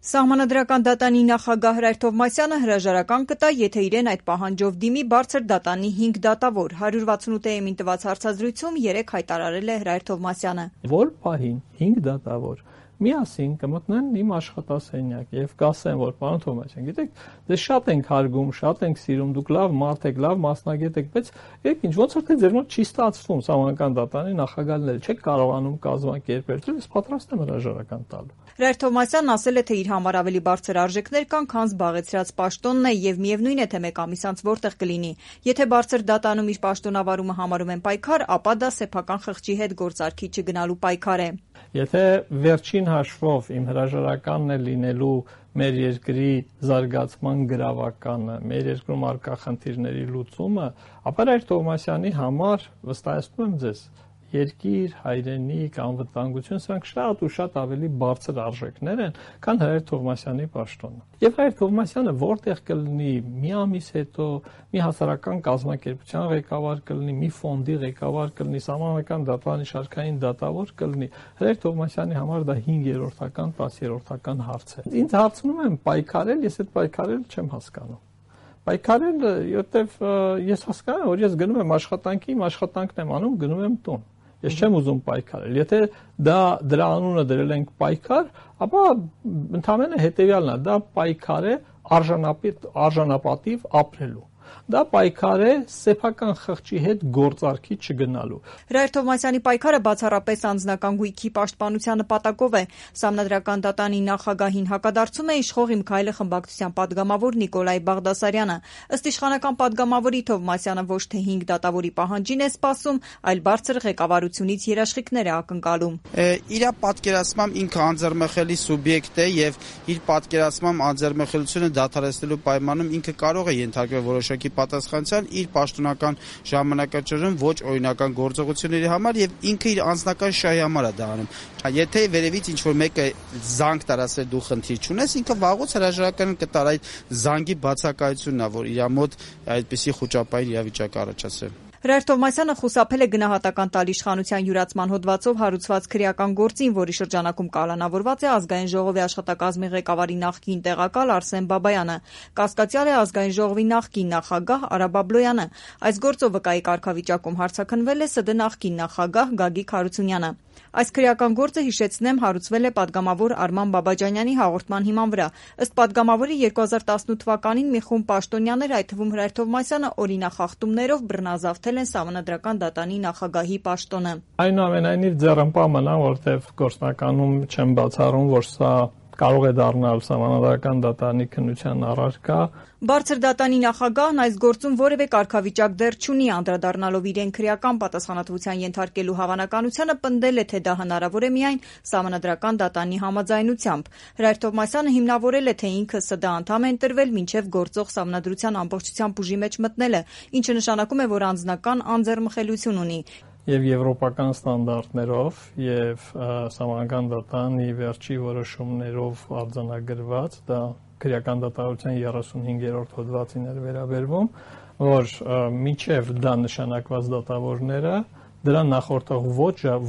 Սահմանադրական դատանի նախագահ Հրայր Թովմասյանը հրաժարական կտա, եթե իրեն այդ պահանջով դիմի բարձր դատանի 5 դատավոր։ 168-ին տված հարցազրույցում 3 հայտարարել է Հրայր Թովմասյանը։ Որ պահին 5 դատավոր միասին կմտնեն իմ աշխատասենյակ եւ կասեն, որ պարոն Թովմասյան, գիտեք, դες շատ ենք հարգում, շատ ենք սիրում, դուք լավ մարդ եք, լավ մասնագետ եք, բայց եկեք ինչ ոնց որ թե ձեր մոտ չի ստացվում սահմանադրական դատանի նախագահել, չեք կարողանում կազմակերպել, ես պատրաստ եմ հրաժարական տալու։ Հրայր Թովմասյանն ասել է, թե իր համար ավելի բարձր արժեքներ կան, քան զբաղեցրած պաշտոնն է եւ միևնույն է, թե մեկ ամիս անց որտեղ կլինի։ Եթե բարձր դատանում իր պաշտոնավարումը համարում են պայքար, ապա դա սեփական խղճի հետ գործարքի չգնալու պայքար է։ Եթե վերջին հաշվով իմ հրաժարականն է լինելու մեր երկրի զարգացման գրավականը, մեր երկրում առկա խնդիրների լուծումը, ապա Հրայր Թովմասյանի համար վստահեցնում եմ ձեզ, երկիր, հայրենիք, անվտանգություն, սրանք շատ ու շատ ավելի բարձր արժեքներ են, քան Հրայր Թովմասյանի պաշտոնը։ Եվ Հրայր Թովմասյանը որտեղ կլինի, մի ամիս հետո, մի հասարակական կազմակերպության ղեկավար կլինի, մի ֆոնդի ղեկավար կլինի, սահմանադրական դատարանի շարքային դատավոր կլինի, Հրայր Թովմասյանի համար դա 5-րդական, 10-րդական հարց է։ Ինձ հարցնում են պայքարել, ես այդ պայքարել չեմ հասկանում։ Պայքարել, որտեվ ես հասկանում եմ, որ ես գնում եմ աշխատանքի, իմ աշխատանքն եմ անում, գնում եմ տուն։ Ես չեմ ուզում պայքարել։ Եթե դրա անունը դրել ենք պայքար, ապա ընդհանրապես հետեւյալն է, դա պայքար է արժանապատիվ ապրելու։ Դա պայքար է սեփական խղճի հետ գործարքի չգնալու։ Հրայր Թովմասյանի պայքարը բացառապես անձնական գույքի պաշտպանության նպատակով է։ Սահմանադրական դատանի նախագահին հակադարձում է իշխող Իմ քայլը խմբակցության падգամավոր Նիկոլայ Բաղդասարյանը։ Ըստ իշխանական падգամավորի, Թովմասյանը ոչ թե 5 դատավորի պահանջին է սպասում, այլ բարձր ղեկավարությունից երաշխիքներ է ակնկալում։ Իր պատկերացմամբ ինքը անձեռնմխելի սուբյեկտ է եւ իր պատկերացմամբ անձեռնմխելիությունը դադարեցնելու պայմանում ինքը կարող է ենթարկվել որոշակի պատասխանատվության իր պաշտոնական ժամանակաշրջանում ոչ օրինական գործողությունների համար եւ ինքը իր անձնական շահի համար է դա անում։ Եթե վերևից ինչ որ մեկը զանգ տարածել դու խնդիր չունես, ինքը վաղուց հրաժարական կտար այդ զանգի բացակայությունն է, որ իր մոտ այդպիսի խոճապային իրավիճակ առաջացրել։ Հրայր Թովմասյանը խուսափել է գնահատական տալ իշխանության յուրացման հոդվածով հարուցված քրեական գործին, որի շրջանակում կալանավորված է Ազգային ժողովի աշխատակազմի ղեկավարի նախկին տեղակալ Արսեն Բաբայանը։ Կասկածյալ է Ազգային ժողովի նախկին նախագահ Արա Բաբլոյանը։ Այս գործով վկայի կարգավիճակում հարցաքննվել է ՍԴ նախկին նախագահ Գագիկ Հարությունյանը։ Այս քրեական գործը, հիշեցնեմ, հարուցվել է падգամավոր Արման Բաբաջանյանի հաղորդման հիման վրա։ Ըստ падգամավորի 2018 թվականին մի խումբ պաշտոնյաներ, այդ թվում Հրայր Թովմասյանը, օրինախախտումներով բռնազավթել են Սահմանադրական դատանի նախագահի պաշտոնը։ Այնուամենայնիվ ձեռնպահ մնամ, որտեղ գործնականում չեմ բացառում, որ սա կարող է դառնալ Սահմանադրական դատարանի քննության առարկա։ Բարձր դատանի նախագահն այս գործում որևէ կարգավիճակ դեռ չունի, անդրադառնալով իրեն քրեական պատասխանատվության ենթարկելու հավանականությանը, պնդել է, թե դա հնարավոր է միայն Սահմանադրական դատանի համաձայնությամբ։ Հրայր Թովմասյանը հիմնավորել է, թե ինքը ՍԴ անդամ է ընտրվել մինչև գործող Սահմանադրության ամբողջությամբ ուժի մեջ մտնելը, ինչը նշանակում է, որ անձնական անձեռնմխելիություն ունի։ Եվ եվրոպական ստանդարտներով եւ Սահմանադրական դատանի վերջի որոշումներով արձանագրված, դա քրեական դատավարության 35-րդ հոդվածին էր վերաբերվում, որ մինչև դա նշանակված դատավորները դրան նախորդող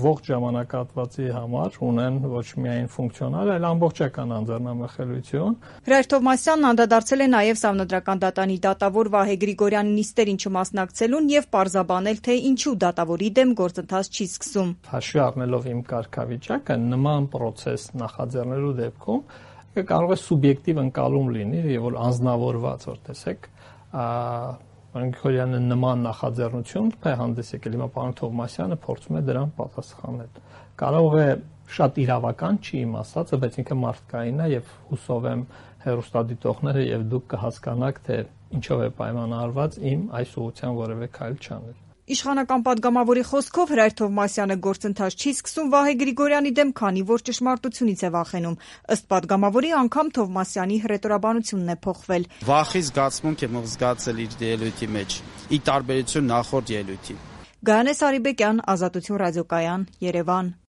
ողջ ժամանակահատվածի համար ունեն ոչ միայն ֆունկցիոնալ, այլ ամբողջական անձեռնամխելիություն։ Հրայր Թովմասյանն անդրադարձել է նաև Սահմանադրական դատանի դատավոր Վահե Գրիգորյանի նիստերին չմասնակցելուն եւ պարզաբանել, թե ինչու դատավորի դեմ գործընթաց չի սկսում։ Հաշվի առնելով իմ կարգավիճակը, նման process նախաձեռնելու դեպքում կարող է սուբյեկտիվ ընկալում լինի, եւ որ անձնավորված, որ տեսեք, Գրիգորյանը նման նախաձեռնություն հանդես եկել, հիմա պարոն Թովմասյանը փորձում է դրան պատասխանել։ Կարող է շատ իրավական չի իմ ասածը, բայց ինքը մարդկային է եւ հուսով եմ հեռուստադիտողները եւ դուք կհասկանաք, թե ինչով է պայմանավորված իմ այս ուղղության որևէ քայլ չանել։ Իշխանական падգամավորի խոսքով Հրայր Թովմասյանը գործընթաց չի սկսում Վահե Գրիգորյանի դեմ, քանի որ ճշմարտությունից է վախենում։ Ըստ падգամավորի, անգամ Թովմասյանի հռետորաբանությունն է փոխվել։ Վախի զգացմունք եմ զգացել իր ելույթի մեջ, ի տարբերություն նախորդ ելույթի։ Գայանե Սարիբեկյան, Ազատություն ռադիոկայան, Երևան։